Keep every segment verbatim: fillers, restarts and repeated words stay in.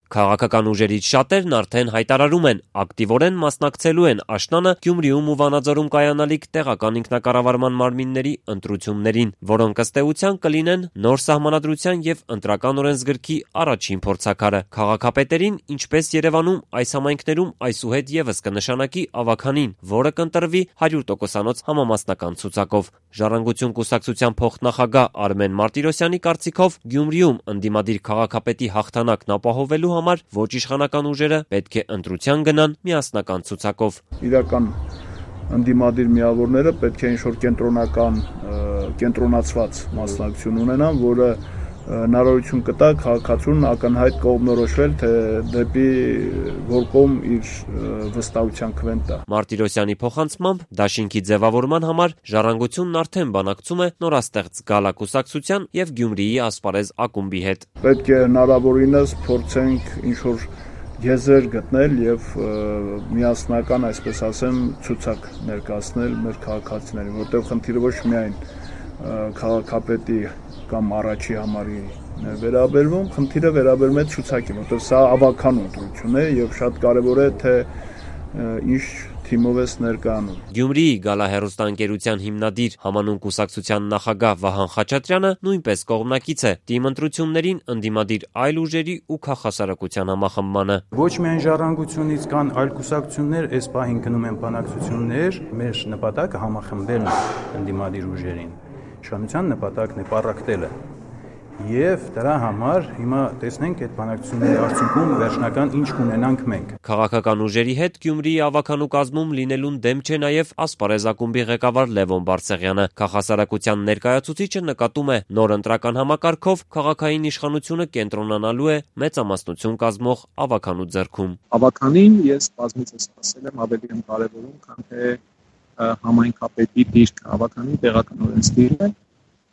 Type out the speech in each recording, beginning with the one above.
Քաղաքական ուժերից շատերն արդեն հայտարարում են, ակտիվորեն մասնակցելու են աշնանը Գյումրիում ու Վանաձորում կայանալիք տեղական ինքնակառավարման մարմինների ընտրություններին, որոնք ըստ էության կլինեն նոր սահմանադրության եւ ընտրական օրենսգրքի առաջին փորձաքարը։ Քաղաքապետերին, ինչպես Երևանում, այս համայնքներում այսուհետ եւս կնշանակի ավականին, որը կընտրվի հարյուր տոկոսանոց համամասնական ցուցակով։ Ժառանգություն կուսակցության փոխնախագահ Արմեն Մարտիրոսյանի կարծիքով Գյումրիում ընդդիմադիր քաղաքապետի հաղթանակն ապահովելու համար ոչ իշխանական ուժերը պետք է ընտրության գնան միասնական ցուցակով։ Իրական ընդդիմադիր միավորները պետք է ինչ-որ կենտրոնական, կենտրոնացված մասնակցություն ունենան, որը հնարավորություն կտա քաղաքացուն ակնհայտ կողմնորոշվել, թե դեպի որ կողմ իր վստահության քվեն տա։ Մարտիրոսյանի փոխանցմամբ դաշինքի ձևավորման համար Ժառանգությունն արդեն բանակցում է նորաստեղծ Գալա կուսակցության եւ Գյումրիի ասպարեզ ակումբի հետ։ Պետք է հնարավորինս փորձենք ինչ-որ եզրեր գտնել եւ միասնական, այսպես ասեմ, ցուցակ ներկայացնել մեր քաղաքացիներին, որտեղ խնդիրը ոչ միայն քաղաքապետի կամ առաջի համարի վերաբերվում, խնդիրը վերաբերում է ցուցակին, որտեղ սա ավական ընտրություն է եւ շատ կարեւոր է, թե ինչ թիմով է ներկայանում։ Գյումրիի Գալա հեռուստաընկերության հիմնադիր համանուն կուսակցության նախագահ Վահան Խաչատրյանը նույնպես կողմնակից է թիմ ընտրություններին ընդդիմադիր այլ ուժերի ու քաղաքասարակության համախմբմանը։ Ոչ միայն Ժառանգությունից կան այլ կուսակցություններ, այս պահին գնում են բանակցություններ, մեր նպատակը համախմբելն է ընդդիմադիր ուժերին։ Իշխանության նպատակն է պառակտելը։ Եվ դրա համար հիմա տեսնենք այդ բանակցությունների արդյունքում վերջնական ինչ կունենանք մենք։ Քաղաքական ուժերի հետ Գյումրիի ավականու կազմում լինելուն դեմ չէ նաև ասպարեզ ակումբի ղեկավար Լևոն Բարսեղյանը։ Քաղաքասարակության ներկայացուցիչը նկատում է նոր ընտրական համակարգով քաղաքային իշխանությունը կենտրոնանալու է մեծամասնություն կազմող ավականու ձեռքում։ Ավականին ես բազմիցս ասել եմ ավելի եմ կարևորում, քան թե համայնքապետի դիրքը, ավականին տեղական օրենսդիրն է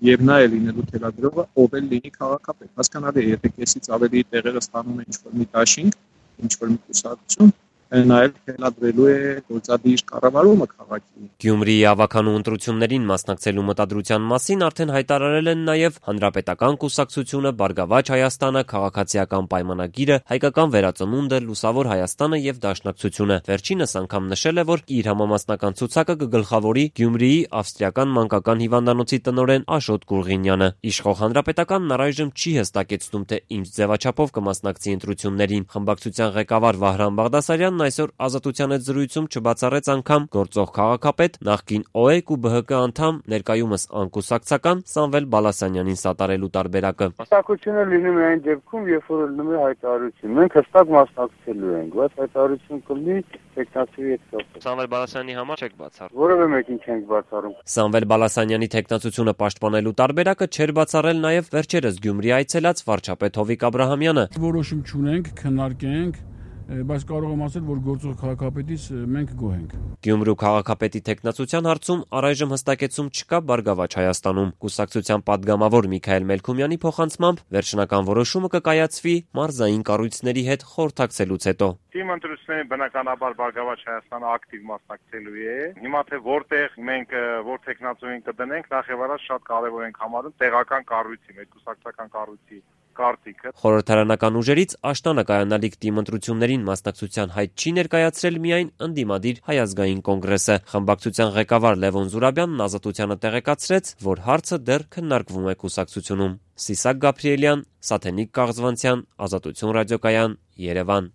եւ նա է լինելու թելադրողը, ով էլ լինի քաղաքապետ։ Հասկանալի է, եթե քեսից ավելի տեղերը ստանում է ինչ-որ մի դաշինք, ինչ-որ մի կուսակցություն, նա էլ թելադրելու է գործադիր կառավարումը քաղաքի։ Գյումրիի ավականու ընտրություններին մասնակցելու մտադրության մասին արդեն հայտարարել են նաև Հանրապետական կուսակցությունը, Բարգավաճ Հայաստանը, Քաղաքացիական պայմանագիրը, Հայկական վերածնունդը, Լուսավոր Հայաստանը եւ Դաշնակցությունը։ Վերջինս անգամ նշել է, որ իր համամասնական ցուցակը կգլխավորի Գյումրիի ավստրիական մանկական հիվանդանոցի տնօրեն Աշոտ Գուրղինյանը։ Իշխող Հանրապետականն առայժմ չի հստակեցնում, թե ինչ ձևաչափով կմասնակցի ընտրություններին։ Խմբակցության ղեկավար Վահրամ Բաղդասարյանն այսօր Ազատության հետ զրույցում չբացառեց անգամ գործող քաղաքապետ, նախկին Օ E K ու B H K անդամ, ներկայումս անկուսակցական Սամվել Բալասանյանին սատարելու տարբերակը։ Հստակությունը լինում է այն դեպքում, երբ որ լինում է հայտարարություն։ Մենք հստակ մասնակցելու ենք, բայց հայտարարություն կլինի տեխնացիի հետ կապված։ Սամվել Բալասյանի համար չեք բացառում։ Որևէ մեկին չենք բացառում։ Սամվել Բալասանյանի տեխնացությունը պաշտպանելու տարբերակը չէր բացառել նաև վերջերս Գյումրի այցելած վարչապետ Հովիկ Աբրահամյանը։ Որոշում չունենք, քննարկենք, բայց կարող եմ ասել, որ գործող քաղաքապետից մենք գոհ ենք։ Գյումրու քաղաքապետի տեխնացության հարցում առայժմ հստակեցում չկա Բարգավաճ Հայաստանում։ Կուսակցության падգամավոր Միքայել Մելքումյանի փոխանցմամբ վերջնական որոշումը կկայացվի մարզային կառույցների հետ խորհրդակցելուց հետո։ Թիմ ընտրությունների բնականաբար Բարգավաճ Հայաստանը ակտիվ մասնակցելու է։ Հիմա թե որտեղ մենք որ տեխնացուին կդնենք, նախ եւ առաջ շատ կարեւոր ենք համարում տեղական կառույցի, մեր կուսակցական կառույցի կարտիկը։ Խորհրդարանական ուժերից աշնանը կայանալիք թիմ ընտրություններին մասնակցության հայտ չի ներկայացրել միայն ընդդիմադիր Հայ ազգային կոնգրեսը։ Խմբակցության ղեկավար Լևոն Զուրաբյանն Ազատությանը տեղեկացրեց, որ հարցը դեռ քննարկվում է կուսակցությունում։ Սիսակ Գաբրիելյան, Սաթենիկ Կաղզվանցյան, Ազատություն ռադիոկայան, Երևան։